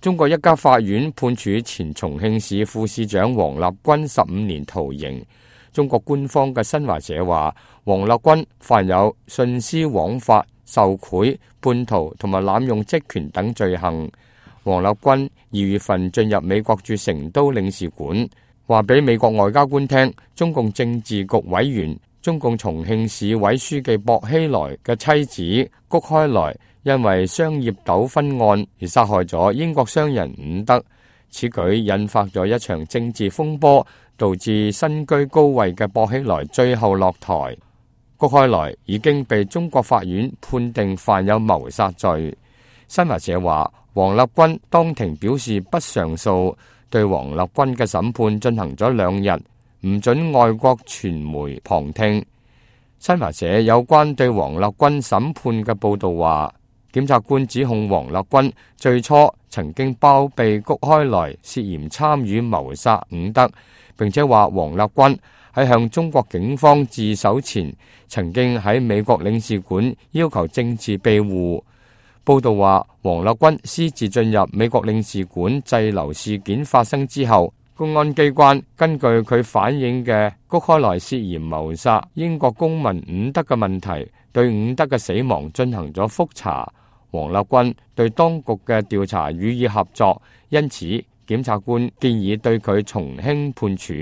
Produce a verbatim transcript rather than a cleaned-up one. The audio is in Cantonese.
中國一家法院判處前重慶市副市長王立軍十五年徒刑。中國官方嘅新華社話，王立軍犯有徇私枉法、受賄、叛逃同埋濫用職權等罪行。王立軍二月份進入美國駐成都領事館，話俾美國外交官聽，中共政治局委員、中共重慶市委書記薄熙來嘅妻子谷開來因為商業糾紛案而殺害咗英國商人伍德，此舉引發咗一場政治風波，導致身居高位嘅薄熙來最後落台。谷開來已經被中國法院判定犯有謀殺罪。新華社話，王立軍當庭表示不上訴，對王立軍嘅審判進行咗兩日，唔准外國傳媒旁聽。新華社有關對王立軍審判嘅報道話，檢察官指控王立軍最初曾經包庇谷開來涉嫌參與謀殺伍德，並且話王立軍喺向中國警方自首前，曾經喺美國領事館要求政治庇護。報道話，王立軍私自進入美國領事館滯留事件發生之後，公安機關根據佢反映嘅谷開來涉嫌謀殺英國公民伍德嘅問題，對伍德嘅死亡進行咗覆查。王立軍對當局嘅調查予以合作，因此檢察官建議對佢從輕判處。